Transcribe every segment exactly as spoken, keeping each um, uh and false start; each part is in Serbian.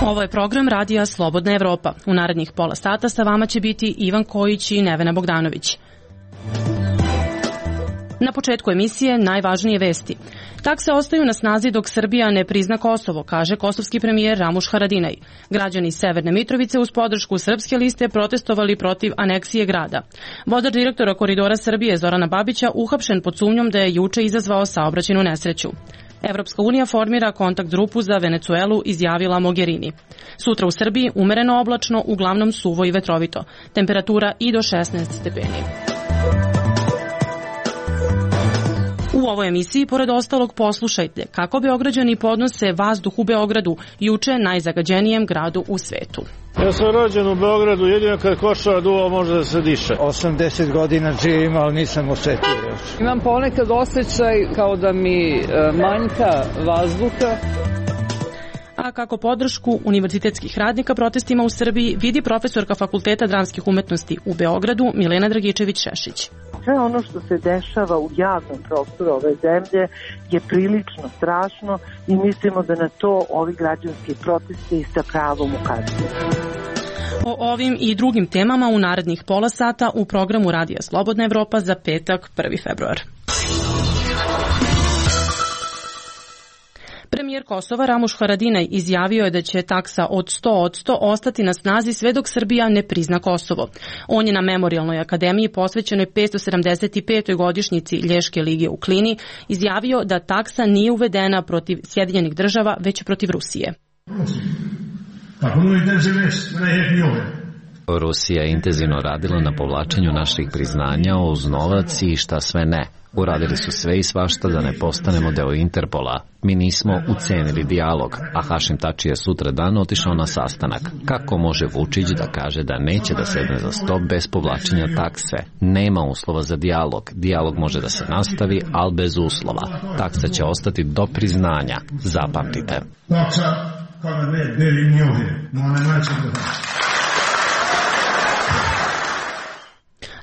Ovo je program Radija Slobodna Evropa. U narednih pola sata sa vama će biti Ivan Kojić i Nevena Bogdanović. Na početku emisije najvažnije vesti. Takse ostaju na snazi dok Srbija ne prizna Kosovo, kaže kosovski premijer Ramuš Haradinaj. Građani Severne Mitrovice uz podršku Srpske liste protestovali protiv aneksije grada. Vodač direktora Koridora Srbije Zorana Babića uhapšen pod sumnjom da je juče izazvao saobraćajnu nesreću. Evropska unija formira kontakt grupu za Venecuelu, izjavila Mogherini. Sutra u Srbiji umereno oblačno, uglavnom suvo i vetrovito. Temperatura i do šesnaest stepeni. U ovoj emisiji, pored ostalog, poslušajte kako Beograđani podnose vazduh u Beogradu, juče najzagađenijem gradu u svetu. Ja sam rođen u Beogradu, jedino kad košava duva može da se diše. osamdeset godina živim, ali nisam osetio još. Imam ponekad osjećaj kao da mi manjka vazduha. A kako podršku univerzitetskih radnika protestima u Srbiji vidi profesorka Fakulteta dramskih umetnosti u Beogradu Milena Dragičević-Šešić. Sve ono što se dešava u javnom prostoru ove zemlje je prilično strašno i mislimo da na to ovi građanski protesti sa pravom ukazuju. O ovim i drugim temama u narednih pola sata u programu Radija Slobodna Evropa za petak prvi februar. Premijer Kosova Ramuš Haradinaj izjavio je da će taksa od sto posto ostati na snazi sve dok Srbija ne prizna Kosovo. On je na Memorijalnoj akademiji posvećenoj petsto sedamdeset petoj godišnjici Lješke lige u Klini izjavio da taksa nije uvedena protiv Sjedinjenih država, već protiv Rusije. Rusija je intenzivno radila na povlačenju naših priznanja uz novac i šta sve ne. Uradili su sve i svašta da ne postanemo deo Interpola. Mi nismo ucenili dijalog, a Hašim Tači je sutra dan otišao na sastanak. Kako može Vučić da kaže da neće da sedne za sto bez povlačenja takse? Nema uslova za dijalog. Dijalog može da se nastavi, ali bez uslova. Taksa će ostati do priznanja. Zapamtite.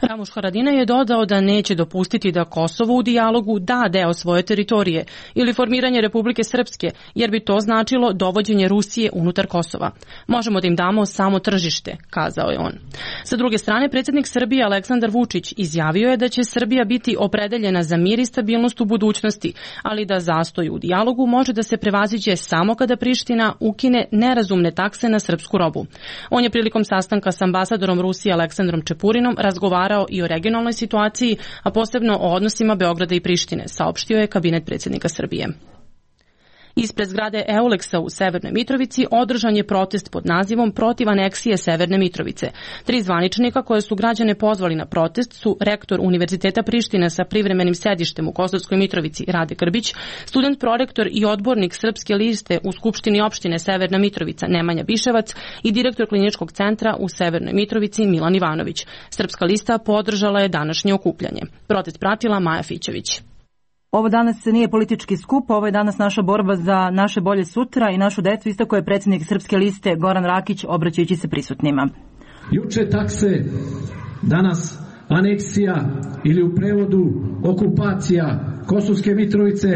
Ramuš Haradinaj je dodao da neće dopustiti da Kosovo u dijalogu da deo svoje teritorije ili formiranje Republike Srpske, jer bi to značilo dovođenje Rusije unutar Kosova. Možemo da im damo samo tržište, kazao je on. Sa druge strane, predsjednik Srbije Aleksandar Vučić izjavio je da će Srbija biti opredeljena za mir i stabilnost u budućnosti, ali da zastoj u dijalogu može da se prevaziđe samo kada Priština ukine nerazumne takse na srpsku robu. On je prilikom sastanka s ambasadorom Rusije Aleksandrom Čepurinom razgovarao i o regionalnoj situaciji, a posebno o odnosima Beograda i Prištine, saopštio je kabinet predsjednika Srbije. Ispred zgrade Euleksa u Severnoj Mitrovici održan je protest pod nazivom Protiv aneksije Severne Mitrovice. Tri zvaničnika koje su građane pozvali na protest su rektor Univerziteta Prištine sa privremenim sedištem u Kosovskoj Mitrovici Rade Grbić, student prorektor i odbornik Srpske liste u Skupštini opštine Severna Mitrovica Nemanja Biševac i direktor Kliničkog centra u Severnoj Mitrovici Milan Ivanović. Srpska lista podržala je današnje okupljanje. Protest pratila Maja Fićević. Ovo danas nije politički skup, ovo je danas naša borba za naše bolje sutra i našu decu, istako je predsjednik Srpske liste Goran Rakić obraćajući se prisutnima. Juče takse, danas aneksija ili u prevodu okupacija Kosovske Mitrovice,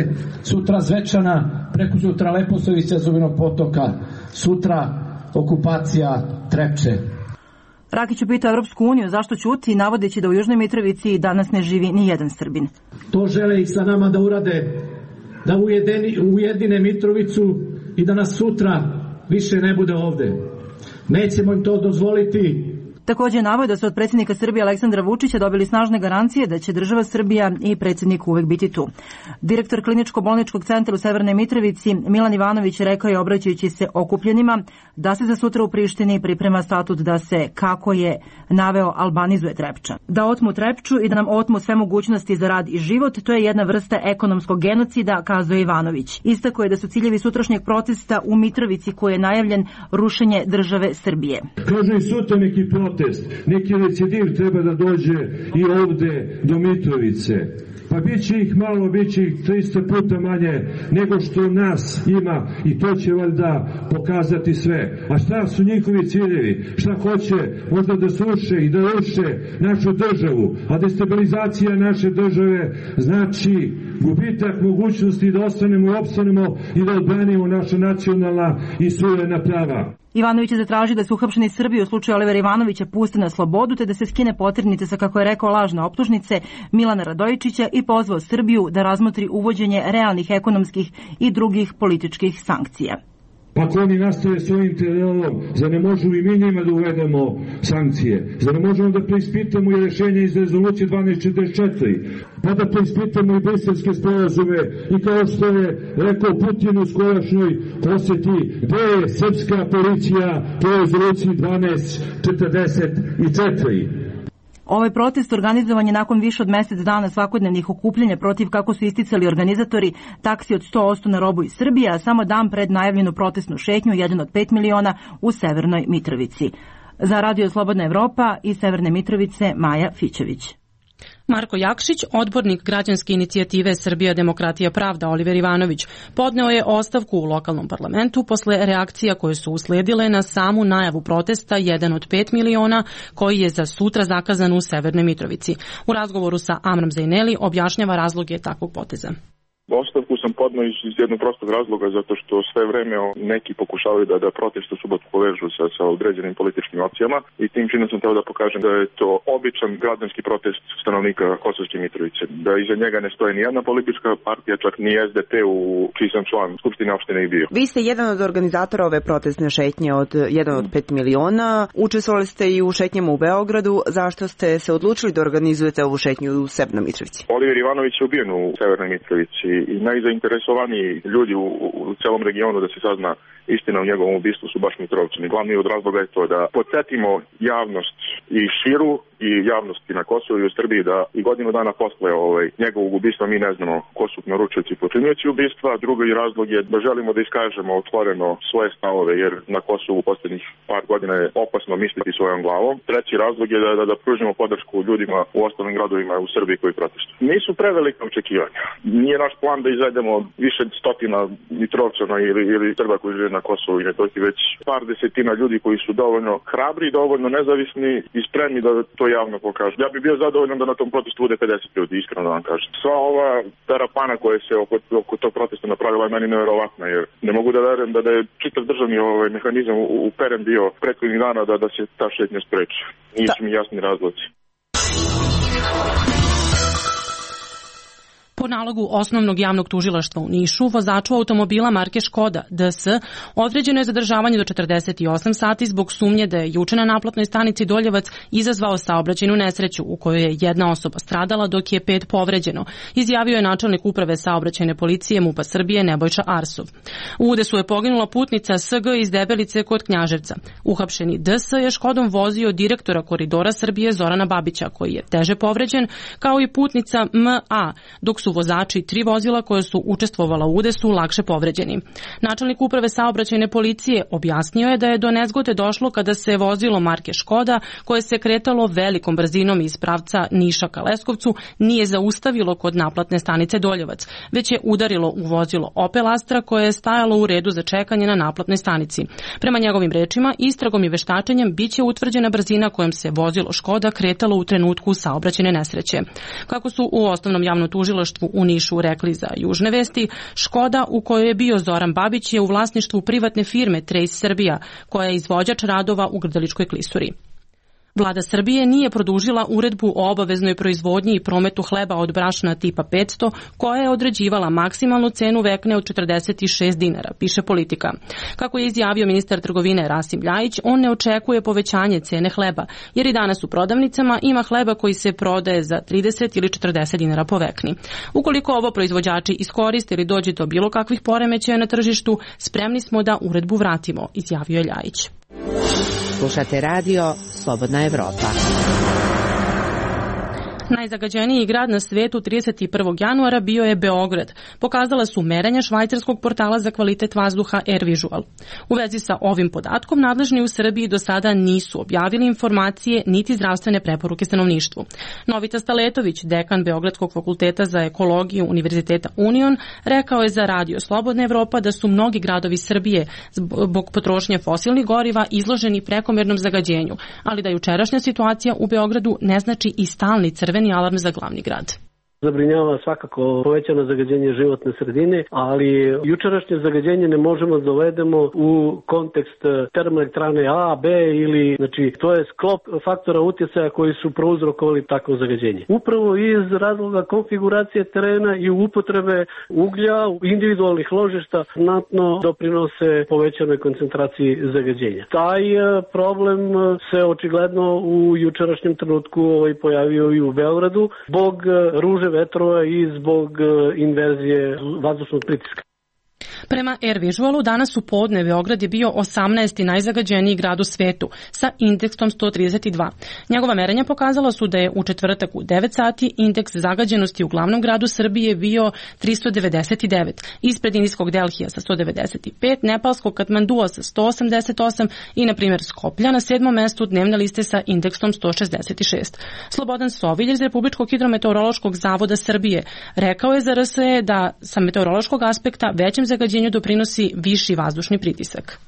sutra Zvečana, preko sutra Leposavića, Zubinog potoka, sutra okupacija Trepče. Rakić je pitao Evropsku uniju zašto ćuti, navodeći da u Južnoj Mitrovici danas ne živi ni jedan Srbin. To žele i sa nama da urade, da ujedini, ujedine Mitrovicu i da nas sutra više ne bude ovde. Nećemo im to dozvoliti. Također je naveo da su od predsjednika Srbije Aleksandra Vučića dobili snažne garancije da će država Srbija i predsjednik uvek biti tu. Direktor Kliničko-bolničkog centra u Severnoj Mitrovici Milan Ivanović rekao je obraćajući se okupljenima da se za sutra u Prištini priprema statut da se, kako je naveo, albanizuje Trepča. Da otmu Trepču i da nam otmu sve mogućnosti za rad i život, to je jedna vrsta ekonomskog genocida, kazao Ivanović. Istako je da su ciljevi sutrašnjeg protesta u Mitrovici koji je najavljen rušenje države Srbije. Kažu i sutra neki protest, neki recidiv treba da dođe i ovde do Mitrovice. Pa bit će ih malo, bit će ih trista puta manje nego što nas ima i to će valjda pokazati sve. A šta su njihovi ciljevi? Šta hoće? Možda da sruše i da ruše našu državu. A destabilizacija naše države znači gubitak mogućnosti da ostanemo i opstanemo i da odbranimo naša nacionalna i suverena prava. Ivanović je zatražio da se uhapšeni Srbi u slučaju Olivera Ivanovića puste na slobodu te da se skine poternice sa, kako je rekao, lažne optužnice Milana Radojičića i pozvao Srbiju da razmotri uvođenje realnih ekonomskih i drugih političkih sankcija. Pa ako oni nastave svojim terorom, zar ne možemo i mi njima da uvedemo sankcije? Zar ne možemo da preispitamo i rešenje iz rezolucije dvanaest četrdeset četiri? Pa da preispitamo i briselske sporazume i kao što je rekao Putin u skorašnjoj poseti, gde je srpska policija po rezoluciji dvanaest četrdeset četiri? Ovaj protest organizovan je nakon više od mesec dana svakodnevnih okupljanja protiv, kako su isticali organizatori, taksi od sto posto na robu iz Srbije, a samo dan pred najavljenu protestnu šetnju, jedan od pet miliona, u Severnoj Mitrovici. Za Radio Slobodna Evropa iz Severne Mitrovice, Maja Fićević. Marko Jakšić, odbornik građanske inicijative Srbija demokratija pravda Oliver Ivanović, podneo je ostavku u lokalnom parlamentu posle reakcija koje su usledile na samu najavu protesta jedan od pet miliona koji je za sutra zakazan u Severnoj Mitrovici. U razgovoru sa Amram Zajneli objašnjava razloge takvog poteza. Ostavku sam podneo iz jednog prostog razloga, zato što sve vreme neki pokušavaju da, da protest u subotu povežu sa, sa određenim političkim opcijama i tim činom sam teo da pokažem da je to običan građanski protest stanovnika Kosovske Mitrovice. Da iza njega ne stoje ni jedna politička partija, čak ni S D P u čiji sam član Skupštine opštine i bio. Vi ste jedan od organizatora ove protestne šetnje od jedan od pet miliona. Učestvovali ste i u šetnjama u Beogradu. Zašto ste se odlučili da organizujete ovu šetnju u Severnoj Mitrovici? Oliver Ivanović je ubijen u Severnoj Mitrovici i najzainteresovaniji ljudi u, u celom regionu da se sazna istina o njegovom ubistvu su baš Mitrovčani. Glavni od razloga je to da podsjetimo javnost i širu i javnosti na Kosovu i u Srbiji da i godinu dana posle ovaj, njegovog ubistva mi ne znamo ko su naručioci i počinioci ubistva. Drugi razlog je da želimo da iskažemo otvoreno svoje stavove, jer na Kosovu u poslednjih par godina je opasno misliti svojom glavom. Treći razlog je da, da, da pružimo podršku ljudima u ostalim gradovima u Srbiji koji protestuju. Nisu prevelika očekivanja. Nije naš plan da izvedemo više stotina Mitrovčana ili, ili Srba koji žive na Kosovu i Metohiji, već par desetina ljudi koji su dovoljno hrabri, dovoljno nezavisni i spremni da to javno pokažu. Ja bih bio zadovoljan da na tom protestu bude pedeset ljudi, iskreno da vam kažem. Sva ova terapana koja se oko, oko tog protesta napravila je meni nevjerovatna, jer ne mogu da verujem da, da je čitav državni ovaj mehanizam uperen bio prethodnih dana da, da se ta šetnja spreči. Nisu mi jasni razlozi. Po nalogu Osnovnog javnog tužilaštva u Nišu, vozaču automobila marke Škoda D S određeno je zadržavanje do četrdeset osam sati zbog sumnje da je juče na naplatnoj stanici Doljevac izazvao saobraćajnu nesreću u kojoj je jedna osoba stradala dok je pet povređeno, izjavio je načelnik uprave saobraćajne policije MUP-a Srbije Nebojša Arsov. U udesu je poginula putnica S G iz Debelice kod Knjaževca. Uhapšeni D S je Škodom vozio direktora Koridora Srbije Zorana Babića, koji je teže povređen, kao i putnica M A, dok su vozači tri vozila koje su učestvovala u udesu lakše povređeni. Načelnik uprave saobraćajne policije objasnio je da je do nezgode došlo kada se vozilo marke Škoda, koje se kretalo velikom brzinom iz pravca Niša ka Leskovcu, nije zaustavilo kod naplatne stanice Doljevac, već je udarilo u vozilo Opel Astra koje je stajalo u redu za čekanje na naplatnoj stanici. Prema njegovim rečima, istragom i veštačenjem biće utvrđena brzina kojom se vozilo Škoda kretalo u trenutku saobraćajne nesreće. Kako su u Osnovnom javnom tužilaštvu u Nišu rekli za Južne vesti, Škoda u kojoj je bio Zoran Babić je u vlasništvu privatne firme Trace Srbija, koja je izvođač radova u Grdeličkoj klisuri. Vlada Srbije nije produžila uredbu o obaveznoj proizvodnji i prometu hleba od brašna tipa petsto, koja je određivala maksimalnu cenu vekne od četrdeset šest dinara, piše Politika. Kako je izjavio ministar trgovine Rasim Ljajić, on ne očekuje povećanje cene hleba, jer i danas u prodavnicama ima hleba koji se prodaje za trideset ili četrdeset dinara po vekni. Ukoliko ovo proizvođači iskoriste ili dođe do bilo kakvih poremećaja na tržištu, spremni smo da uredbu vratimo, izjavio je Ljajić. Slušate radio Slobodna Evropa. Najzagađeniji grad na svetu trideset prvog januara bio je Beograd. Pokazala su merenja švajcarskog portala za kvalitet vazduha AirVisual. U vezi sa ovim podatkom, nadležni u Srbiji do sada nisu objavili informacije niti zdravstvene preporuke stanovništvu. Novita Staletović, dekan Beogradskog fakulteta za ekologiju Univerziteta Union, rekao je za radio Slobodna Evropa da su mnogi gradovi Srbije zbog potrošnje fosilnih goriva izloženi prekomernom zagađenju, ali da jučerašnja situacija u Beogradu ne znači i stalni crveni alarm za glavni grad. Zabrinjava svakako povećano zagađenje životne sredine, ali jučerašnje zagađenje ne možemo da dovedemo u kontekst termoelektrane A, B ili, znači, to je sklop faktora utjecaja koji su prouzrokovali takvo zagađenje. Upravo iz razloga konfiguracije terena i upotrebe uglja, individualnih ložišta znatno doprinose povećanoj koncentraciji zagađenja. Taj problem se očigledno u jučerašnjem trenutku ovaj, pojavio i u Beogradu zbog ruže vetrova i zbog inverzije vazdušnog pritiska. Prema AirVisualu danas u podne Beograd je bio osamnaesti najzagađeniji grad u svetu sa indeksom sto trideset dva. Njegova merenja pokazala su da je u četvrtak u devet sati indeks zagađenosti u glavnom gradu Srbije bio tristo devedeset devet, ispred indijskog Delhija sa sto devedeset pet, nepalskog Katmandua sa sto osamdeset osam i, na primjer, Skoplja na sedmom mestu dnevne liste sa indeksom sto šezdeset šest. Slobodan Sovilj iz Republičkog hidrometeorološkog zavoda Srbije rekao je za R S E da sa meteorološkog aspekta većem zagađenju doprinosi viši vazdušni pritisak.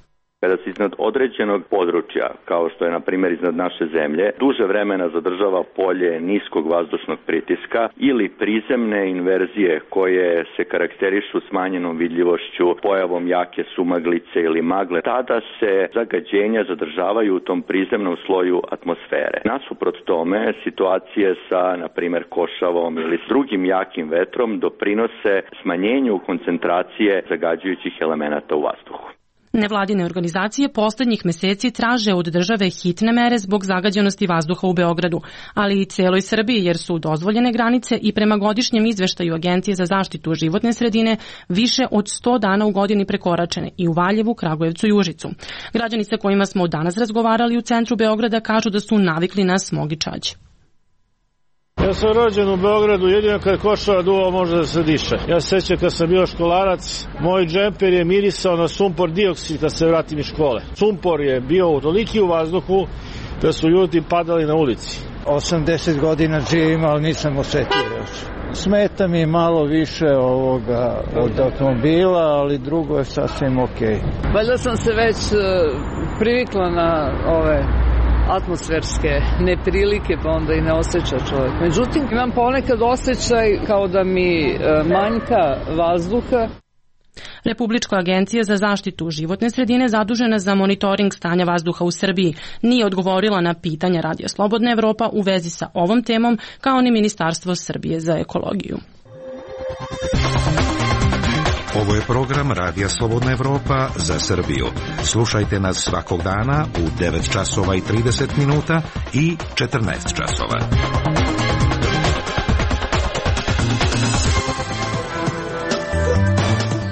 Kada se iznad određenog područja, kao što je na primjer iznad naše zemlje, duže vremena zadržava polje niskog vazdušnog pritiska ili prizemne inverzije koje se karakterišu smanjenom vidljivošću, pojavom jake sumaglice ili magle, tada se zagađenja zadržavaju u tom prizemnom sloju atmosfere. Nasuprot tome, situacije sa, na primjer, košavom ili s drugim jakim vetrom doprinose smanjenju koncentracije zagađujućih elemenata u vazduhu. Nevladine organizacije poslednjih meseci traže od države hitne mere zbog zagađenosti vazduha u Beogradu, ali i celoj Srbiji, jer su dozvoljene granice i prema godišnjem izveštaju Agencije za zaštitu životne sredine više od sto dana u godini prekoračene i u Valjevu, Kragujevcu i Užicu. Građani sa kojima smo danas razgovarali u centru Beograda kažu da su navikli na smog i čađ. Ja sam rođen u Beogradu, jedino kad košava duva može da se diše. Ja se sjećam kad sam bio školarac, moj džemper je mirisao na sumpor dioksid kad se vratim iz škole. Sumpor je bio toliki u vazduhu da su ljudi padali na ulici. osamdeset godina živim, ali nisam osetio još. Smeta mi malo više ovoga od automobila, ali drugo je sasvim okej. Valjda sam se već privikla na ove atmosferske neprilike, pa onda i ne osjeća čovjek. Međutim, imam ponekad osjećaj kao da mi manjka vazduha. Republička agencija za zaštitu životne sredine zadužena za monitoring stanja vazduha u Srbiji nije odgovorila na pitanja Radija Slobodna Evropa u vezi sa ovom temom, kao ni Ministarstvo Srbije za ekologiju. Ovo je program Radija Slobodna Evropa za Srbiju. Slušajte nas svakog dana u devet časova i trideset minuta i četrnaest časova.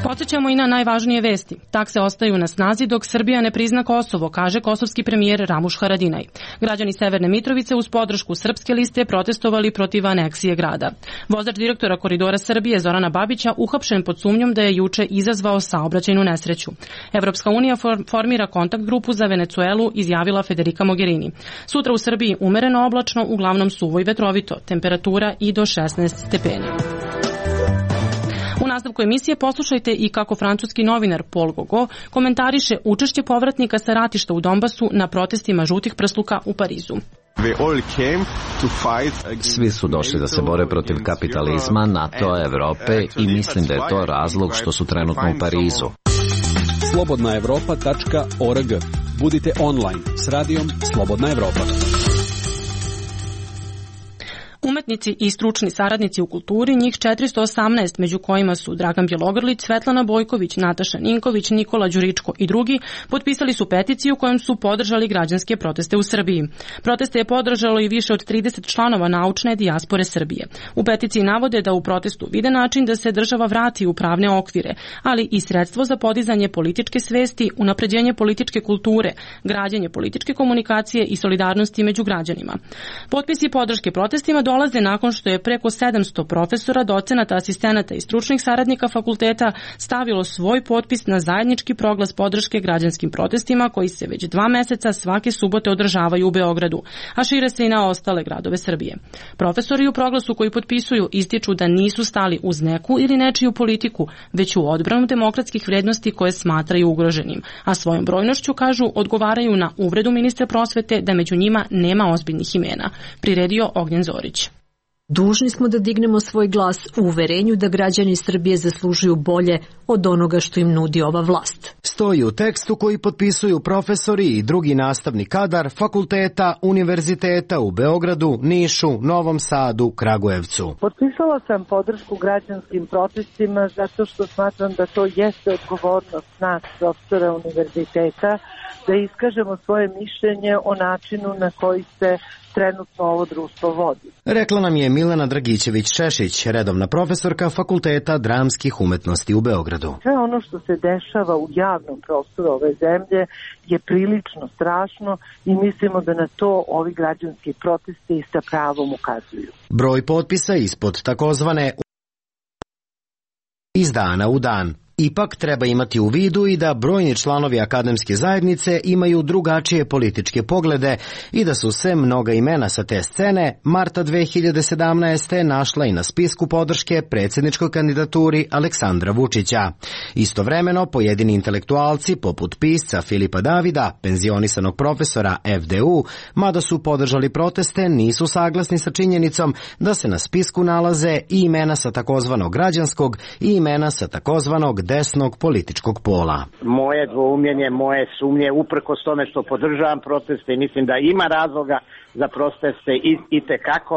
Podsećamo i na najvažnije vesti. Takse ostaju na snazi dok Srbija ne prizna Kosovo, kaže kosovski premijer Ramuš Haradinaj. Građani Severne Mitrovice uz podršku srpske liste protestovali protiv aneksije grada. Vozač direktora Koridora Srbije Zorana Babića uhapšen pod sumnjom da je juče izazvao saobraćajnu nesreću. Evropska unija formira kontakt grupu za Venecuelu, izjavila Federica Mogherini. Sutra u Srbiji umereno oblačno, uglavnom suvo i vetrovito, temperatura i do šesnaest stepeni. U nastavku emisije poslušajte i kako francuski novinar Paul Gogo komentariše učešće povratnika sa ratišta u Donbasu na protestima žutih prsluka u Parizu. Svi su došli da se bore protiv kapitalizma, NATO, Evrope i mislim da je to razlog što su trenutno u Parizu. slobodna evropa tačka org. Budite online s radijom Slobodna Evropa. Umetnici i stručni saradnici u kulturi, njih četiristo osamnaest, među kojima su Dragan Bjelogrlić, Svetlana Bojković, Nataša Ninković, Nikola Đuričko i drugi, potpisali su peticiju kojom su podržali građanske proteste u Srbiji. Proteste je podržalo i više od trideset članova naučne dijaspore Srbije. U peticiji navode da u protestu vide način da se država vrati u pravne okvire, ali i sredstvo za podizanje političke svesti, unapređenje političke kulture, građenje političke komunikacije i solidarnosti među građanima. Potpisi podrške protestima dolaze nakon što je preko sedamsto profesora, docenata, asistenata i stručnih saradnika fakulteta stavilo svoj potpis na zajednički proglas podrške građanskim protestima koji se već dva meseca svake subote održavaju u Beogradu, a šire se i na ostale gradove Srbije. Profesori u proglasu koji potpisuju ističu da nisu stali uz neku ili nečiju politiku, već u odbranu demokratskih vrednosti koje smatraju ugroženim, a svojom brojnošću, kažu, odgovaraju na uvredu ministra prosvete da među njima nema ozbiljnih imena, priredio Ognjen Zorić. Dužni smo da dignemo svoj glas u uverenju da građani Srbije zaslužuju bolje od onoga što im nudi ova vlast. Stoji u tekstu koji potpisuju profesori i drugi nastavni kadar fakulteta, univerziteta u Beogradu, Nišu, Novom Sadu, Kragujevcu. Potpisala sam podršku građanskim protestima zato što smatram da to jeste odgovornost nas, profesora univerziteta, da iskažemo svoje mišljenje o načinu na koji se trenutno ovo društvo vodi. Rekla nam je Milena Dragićević-Šešić, redovna profesorka Fakulteta dramskih umetnosti u Beogradu. Sve ono što se dešava u javnom prostoru ove zemlje je prilično strašno i mislimo da na to ovi građanski protesti sa pravom ukazuju. Broj potpisa ispod takozvane iz dana u dan. Ipak treba imati u vidu i da brojni članovi akademske zajednice imaju drugačije političke poglede i da su se mnoga imena sa te scene marta dve hiljade sedamnaeste. našla i na spisku podrške predsjedničkoj kandidaturi Aleksandra Vučića. Istovremeno, pojedini intelektualci poput pisca Filipa Davida, penzionisanog profesora F D U, mada su podržali proteste, nisu saglasni sa činjenicom da se na spisku nalaze i imena sa takozvanog građanskog i imena sa takozvanog desnog političkog pola. Moje dvoumljenje, moje sumnje, uprkos tome što podržavam proteste i mislim da ima razloga za proteste i, i tekako,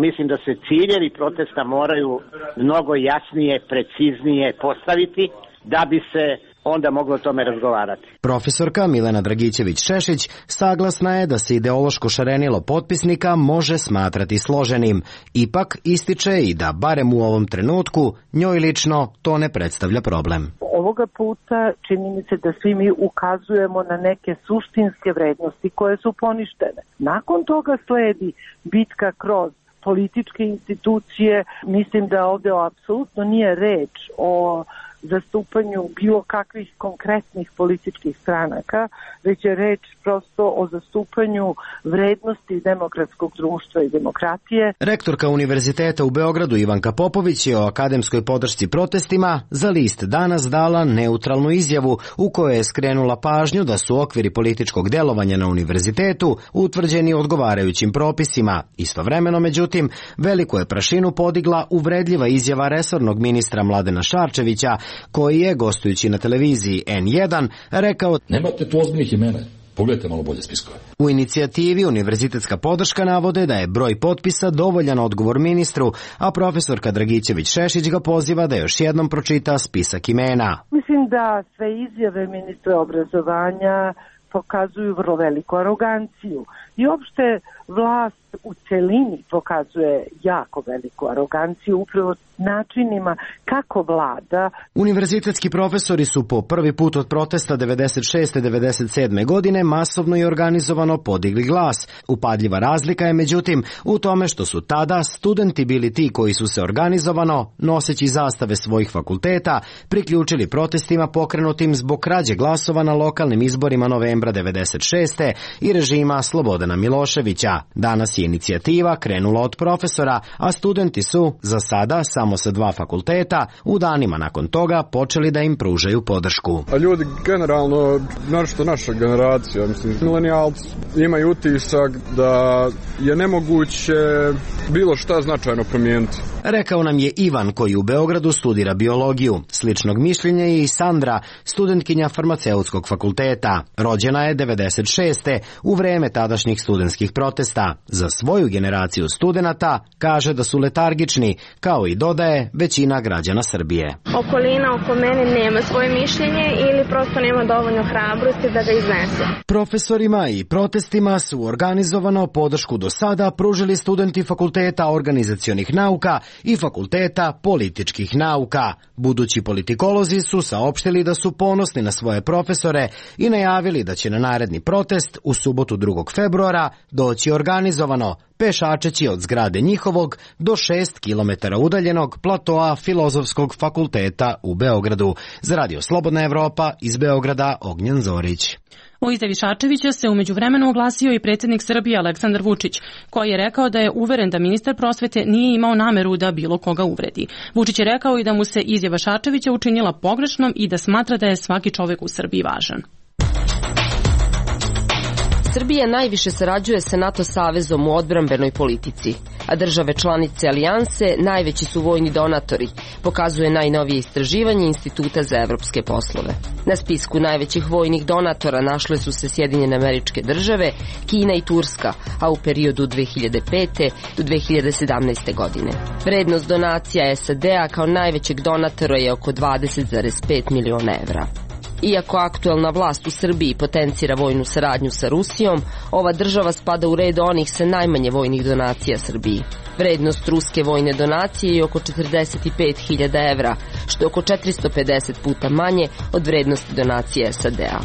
mislim da se ciljevi protesta moraju mnogo jasnije, preciznije postaviti da bi se onda moglo o tome razgovarati. Profesorka Milena Dragićević-Šešić saglasna je da se ideološko šarenilo potpisnika može smatrati složenim. Ipak ističe i da, barem u ovom trenutku, njoj lično to ne predstavlja problem. Ovoga puta čini mi se da svi mi ukazujemo na neke suštinske vrednosti koje su poništene. Nakon toga sledi bitka kroz političke institucije. Mislim da ovde apsolutno nije reč o zastupanju bilo kakvih konkretnih političkih stranaka, već je reč prosto o zastupanju vrednosti demokratskog društva i demokratije. Rektorka Univerziteta u Beogradu Ivanka Popović je o akademskoj podršci protestima za list Danas dala neutralnu izjavu u kojoj je skrenula pažnju da su okviri političkog delovanja na univerzitetu utvrđeni odgovarajućim propisima. Istovremeno, međutim, veliku je prašinu podigla uvredljiva izjava resornog ministra Mladena Šarčevića, koji je, gostujući na televiziji N jedan, rekao: Nemate tu ozbiljnih imena, pogledajte malo bolje spiskove. U inicijativi univerzitetska podrška navode da je broj potpisa dovoljan odgovor ministru, a profesorka Dragićević-Šešić ga poziva da još jednom pročita spisak imena. Mislim da sve izjave ministra obrazovanja pokazuju vrlo veliku aroganciju i uopšte vlast u celini pokazuje jako veliku aroganciju upravo načinima kako vlada. Univerzitetski profesori su po prvi put od protesta devedeset šeste devedeset sedme. godine masovno i organizovano podigli glas. Upadljiva razlika je međutim u tome što su tada studenti bili ti koji su se organizovano, noseći zastave svojih fakulteta, priključili protestima pokrenutim zbog krađe glasova na lokalnim izborima novembra devedeset šeste. i režima Slobodana Miloševića. Danas je inicijativa krenula od profesora, a studenti su, za sada samo sa dva fakulteta, u danima nakon toga počeli da im pružaju podršku. A ljudi generalno, našto naša generacija, mislim, milenijalci, imaju utisak da je nemoguće bilo šta značajno promijeniti. Rekao nam je Ivan, koji u Beogradu studira biologiju. Sličnog mišljenja je i Sandra, studentkinja farmaceutskog fakulteta. Rođena je devedeset šeste. u vreme tadašnjih studentskih protesta. Za svoju generaciju studenata kaže da su letargični, kao i dodaje većina građana Srbije. Okolina oko mene nema svoje mišljenje ili prosto nema dovoljno hrabrosti da ga iznese. Profesorima i protestima su organizovano podršku do sada pružili studenti Fakulteta organizacionih nauka i Fakulteta političkih nauka. Budući politikolozi su saopštili da su ponosni na svoje profesore i najavili da će na naredni protest u subotu drugog februara doći organizovano, pešačeći od zgrade njihovog do šest kilometara udaljenog platoa Filozofskog fakulteta u Beogradu. Za Radio Slobodna Evropa iz Beograda, Ognjen Zorić. U izjavi Šarčevića se umeđu vremenu oglasio i predsjednik Srbije Aleksandar Vučić, koji je rekao da je uveren da ministar prosvete nije imao nameru da bilo koga uvredi. Vučić je rekao i da mu se izjava Šarčevića učinila pogrešnom i da smatra da je svaki čovjek u Srbiji važan. Srbija najviše sarađuje sa NATO savezom u odbrambenoj politici, a države članice alijanse najveći su vojni donatori, pokazuje najnovije istraživanje Instituta za evropske poslove. Na spisku najvećih vojnih donatora našle su se Sjedinjene Američke Države, Kina i Turska, a u periodu dve hiljade pete do dve hiljade sedamnaeste. godine. Vrednost donacija S A D-a kao najvećeg donatora je oko dvadeset zarez pet miliona evra. Iako aktuelna vlast u Srbiji potencira vojnu saradnju sa Rusijom, ova država spada u red onih sa najmanje vojnih donacija Srbiji. Vrednost ruske vojne donacije je oko četrdeset pet hiljada evra, što je oko četiristo pedeset puta manje od vrednosti donacije S A D-a.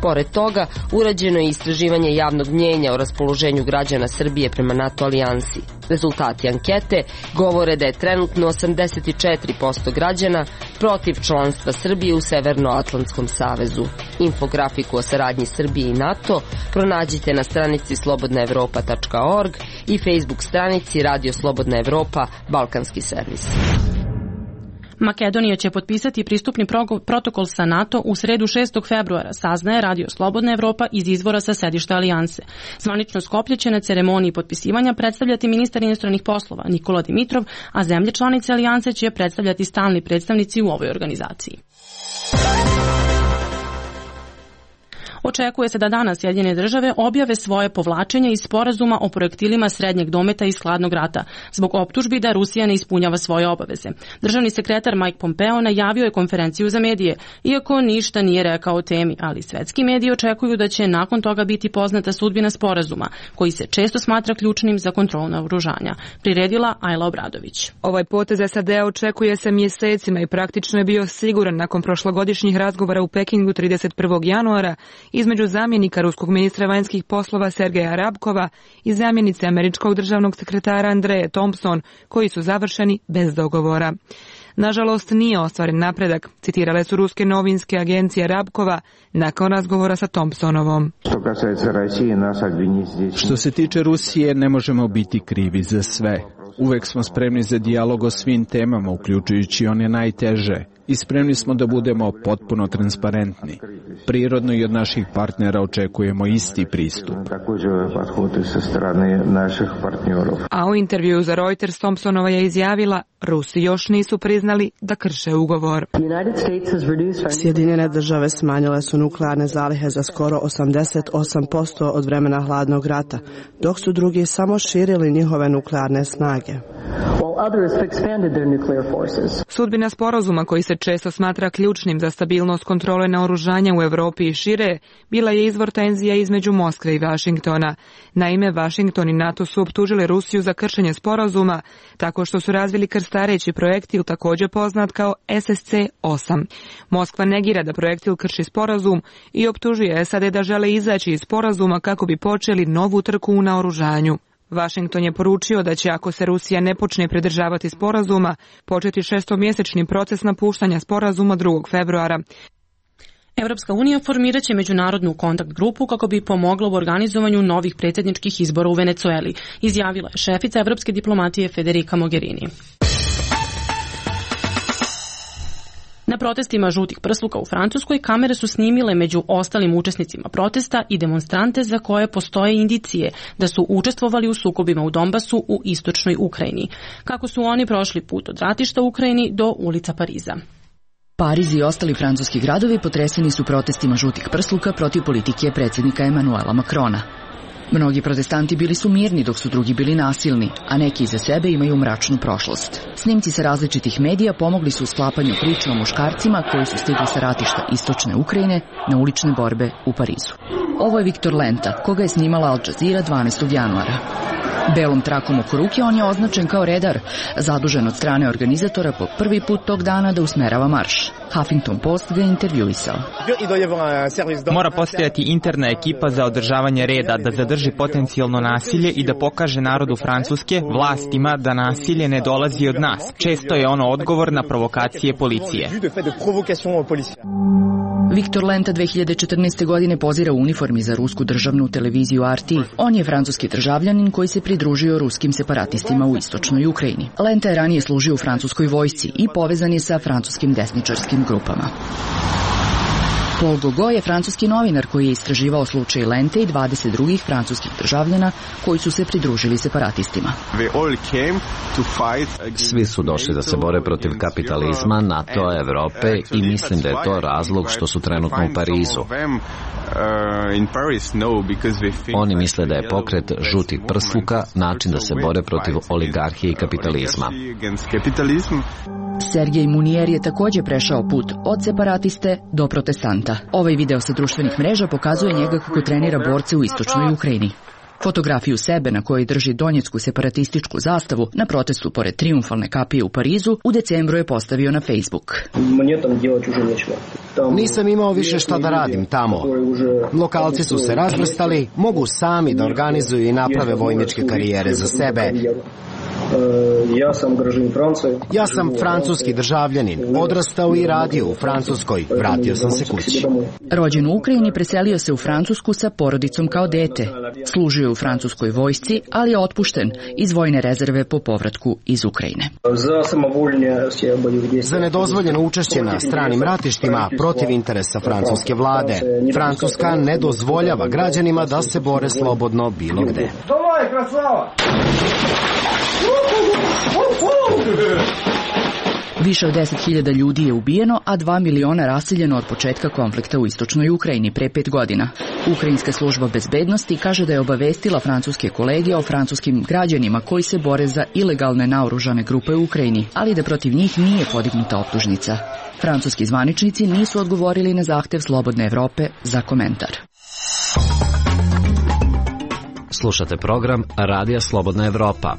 Pored toga, urađeno je istraživanje javnog mnjenja o raspoloženju građana Srbije prema NATO alijansi. Rezultati ankete govore da je trenutno osamdeset četiri posto građana protiv članstva Srbije u Severnoatlantskom savezu. Infografiku o saradnji Srbije i NATO pronađite na stranici slobodna evropa tačka org i Facebook stranici Radio Slobodna Evropa Balkanski servis. Makedonija će potpisati pristupni protokol sa NATO u sredu šestog februara, saznaje Radio Slobodna Evropa iz izvora sa sedišta alijanse. Zvanično Skoplje će na ceremoniji potpisivanja predstavljati ministar inostranih poslova Nikola Dimitrov, a zemlje članice alijanse će predstavljati stalni predstavnici u ovoj organizaciji. Očekuje se da danas Sjedinjene države objave svoje povlačenje iz sporazuma o projektilima srednjeg dometa iz hladnog rata, zbog optužbi da Rusija ne ispunjava svoje obaveze. Državni sekretar Mike Pompeo najavio je konferenciju za medije, iako ništa nije rekao o temi, ali svetski mediji očekuju da će nakon toga biti poznata sudbina sporazuma, koji se često smatra ključnim za kontrolu naoružanja. Priredila Ajla Obradović. Ovaj potez S A D očekuje se mjesecima i praktično je bio siguran nakon prošlogodišnjih razgovora u Pekingu trideset prvog januara između zamjenika ruskog ministra vanjskih poslova Sergeja Rabkova i zamjenice američkog državnog sekretara Andreje Thompson, koji su završeni bez dogovora. Nažalost, nije ostvaren napredak, citirale su ruske novinske agencije Rabkova nakon razgovora sa Thompsonovom. Što se tiče Rusije, ne možemo biti krivi za sve. Uvek smo spremni za dijalog o svim temama, uključujući one najteže, i spremni smo da budemo potpuno transparentni. Prirodno i od naših partnera očekujemo isti pristup. A u intervju za Reuters Thompsonova je izjavila: Rusi još nisu priznali da krše ugovor. Sjedinjene države smanjile su nuklearne zalihe za skoro osamdeset osam posto od vremena hladnog rata, dok su drugi samo širili njihove nuklearne snage. Sudbina sporazuma, koji se često smatra ključnim za stabilnost kontrole naoružanja u Evropi i šire, bila je izvor tenzija između Moskve i Vašingtona. Naime, Vašington i NATO su optužili Rusiju za kršenje sporazuma tako što su razvili krstareći projektil, također poznat kao S S C osam. Moskva negira da projektil krši sporazum i optužuje S A D da žele izaći iz sporazuma kako bi počeli novu trku u naoružanju. Washington je poručio da će, ako se Rusija ne počne pridržavati sporazuma, početi šestomjesečni proces napuštanja sporazuma drugog februara. Evropska unija formirat će međunarodnu kontakt grupu kako bi pomogla u organizovanju novih predsjedničkih izbora u Venecueli, izjavila je šefica evropske diplomatije Federica Mogherini. Na protestima žutih prsluka u Francuskoj kamere su snimile među ostalim učesnicima protesta i demonstrante za koje postoje indicije da su učestvovali u sukobima u Donbasu u istočnoj Ukrajini. Kako su oni prošli put od ratišta u Ukrajini do ulica Pariza. Pariz i ostali francuski gradovi potreseni su protestima žutih prsluka protiv politike predsjednika Emanuela Macrona. Mnogi protestanti bili su mirni dok su drugi bili nasilni, a neki iza sebe imaju mračnu prošlost. Snimci sa različitih medija pomogli su u sklapanju priče o muškarcima koji su stigli sa ratišta istočne Ukrajine na ulične borbe u Parizu. Ovo je Viktor Lenta, koga je snimala Al Jazeera dvanaestog januara. Belom trakom oko ruke on je označen kao redar, zadužen od strane organizatora po prvi put tog dana da usmerava marš. Huffington Post ga je intervjuisao. Mora postojati interna ekipa za održavanje reda, da zadrži potencijalno nasilje i da pokaže narodu Francuske, vlastima, da nasilje ne dolazi od nas. Često je ono odgovor na provokacije policije. Viktor Lenta dve hiljade četrnaeste. godine pozira u uniformi za rusku državnu televiziju R T. On je francuski državljanin koji se pridružio ruskim separatistima u istočnoj Ukrajini. Lenta je ranije služio u francuskoj vojsci i povezan je sa francuskim desničarskim grupama. Paul Gogo je francuski novinar koji je istraživao slučaj Lente i dvadeset drugih francuskih državljana koji su se pridružili separatistima. Svi su došli da se bore protiv kapitalizma, NATO, Evrope i mislim da je to razlog što su trenutno u Parizu. Oni misle da je pokret žutih prsluka način da se bore protiv oligarhije i kapitalizma. Sergej Munier je također prešao put od separatiste do protestanta. Ovaj video sa društvenih mreža pokazuje njega kako trenira borce u istočnoj Ukrajini. Fotografiju sebe na kojoj drži donjecku separatističku zastavu na protestu pored triumfalne kapije u Parizu u decembru je postavio na Facebook. Nisam imao više šta da radim tamo. Lokalci su se razvrstali, mogu sami da organizuju i naprave vojničke karijere za sebe. Ja sam francuski državljanin, odrastao i radio u Francuskoj, vratio sam se kući. Rođen u Ukrajini, preselio se u Francusku sa porodicom kao dete. Služio je u francuskoj vojsci, ali je otpušten iz vojne rezerve po povratku iz Ukrajine. Za nedozvoljeno učešće na stranim ratištima protiv interesa francuske vlade. Francuska ne dozvoljava građanima da se bore slobodno bilo gde. Više od deset hiljada ljudi je ubijeno, a dva miliona raseljeno od početka konflikta u istočnoj Ukrajini pre pet godina. Ukrajinska služba bezbednosti kaže da je obavestila francuske kolege o francuskim građanima koji se bore za ilegalne naoružane grupe u Ukrajini, ali da protiv njih nije podignuta optužnica. Francuski zvaničnici nisu odgovorili na zahtev Slobodne Evrope za komentar. Slušate program Radija Slobodna Evropa.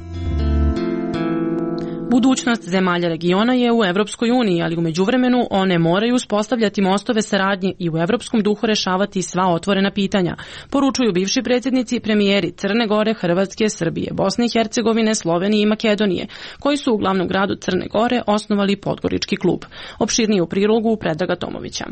Budućnost zemalja regiona je u Evropskoj uniji, ali u međuvremenu one moraju uspostavljati mostove saradnje i u evropskom duhu rešavati sva otvorena pitanja, poručuju bivši predsjednici i premijeri Crne Gore, Hrvatske, Srbije, Bosne i Hercegovine, Slovenije i Makedonije, koji su u glavnom gradu Crne Gore osnovali Podgorički klub. Opširnije u prilogu Predraga Tomovića.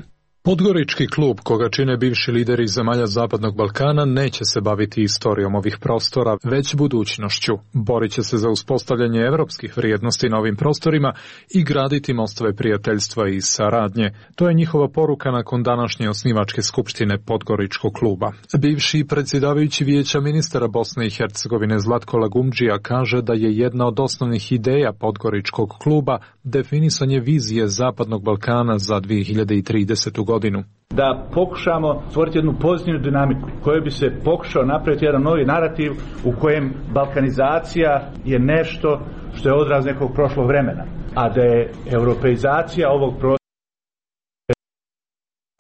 Podgorički klub, koga čine bivši lideri zemalja Zapadnog Balkana, neće se baviti istorijom ovih prostora, već budućnošću. Borit će se za uspostavljanje evropskih vrijednosti na ovim prostorima i graditi mostove prijateljstva i saradnje. To je njihova poruka nakon današnje osnivačke skupštine Podgoričkog kluba. Bivši predsjedavajući Vijeća ministara Bosne i Hercegovine Zlatko Lagumdžija kaže da je jedna od osnovnih ideja Podgoričkog kluba definisanje vizije Zapadnog Balkana za dvije hiljade tridesetu godinu. Da pokušamo stvoriti jednu pozitivnu dinamiku koja bi se pokušao napraviti jedan novi narativ u kojem balkanizacija je nešto što je odraz nekog prošlog vremena, a da je europeizacija ovog prostora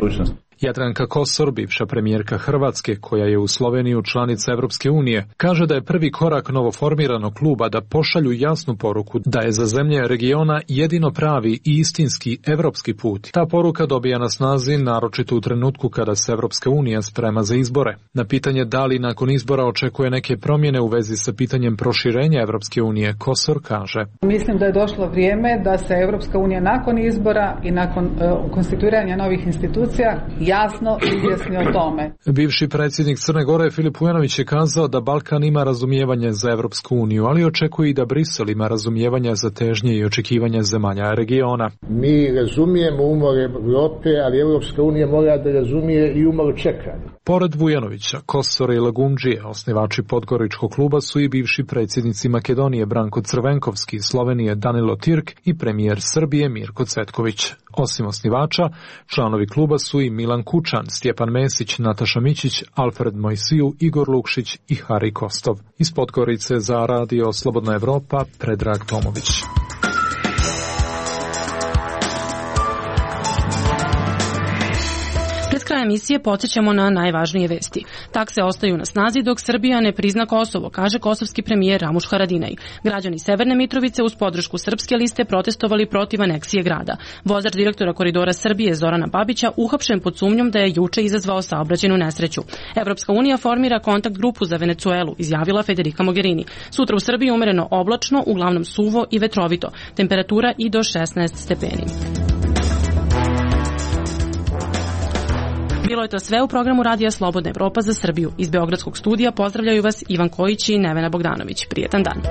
budućnosti. Jadranka Kosor, bivša premijerka Hrvatske, koja je u Sloveniju članica Evropske unije, kaže da je prvi korak novoformiranog kluba da pošalju jasnu poruku da je za zemlje regiona jedino pravi i istinski evropski put. Ta poruka dobija na snazi naročito u trenutku kada se Evropska unija sprema za izbore. Na pitanje da li nakon izbora očekuje neke promjene u vezi sa pitanjem proširenja Evropske unije, Kosor kaže: Mislim da je došlo vrijeme da se Evropska unija nakon izbora i nakon uh, konstituiranja novih institucija jasno izjasni o tome. Bivši predsjednik Crne Gore Filip Vujanović je kazao da Balkan ima razumijevanje za Evropsku uniju, ali očekuje i da Brisel ima razumijevanja za težnje i očekivanja zemalja regiona. Mi razumijemo umor Evrope, ali Evropska unija mora da razumije i umor čekanja. Pored Vujanovića, Kosora i Lagumdžije, osnivači Podgoričkog kluba su i bivši predsjednici Makedonije Branko Crvenkovski, Slovenije Danilo Tirk i premijer Srbije Mirko Cvetković. Osim osnivača, članovi kluba su i Milan Kučan, Stjepan Mesić, Nataša Mićić, Alfred Mojsiju, Igor Lukšić i Hari Kostov. Iz Podgorice za Radio Slobodna Evropa, Predrag Tomović. Kraja emisije podsjećamo na najvažnije vesti. Takse ostaju na snazi dok Srbija ne prizna Kosovo, kaže kosovski premijer Ramuš Haradinaj. Građani Severne Mitrovice uz podršku Srpske liste protestovali protiv aneksije grada. Vozač direktora Koridora Srbije Zorana Babića uhapšen pod sumnjom da je juče izazvao saobraćajnu nesreću. Evropska unija formira kontakt grupu za Venecuelu, izjavila Federica Mogherini. Sutra u Srbiji umereno oblačno, uglavnom suvo i vetrovito. Temperatura i do šesnaest stepeni. Bilo je to sve u programu Radija Slobodna Evropa za Srbiju. Iz Beogradskog studija pozdravljaju vas Ivan Kojić i Nevena Bogdanović. Prijetan dan.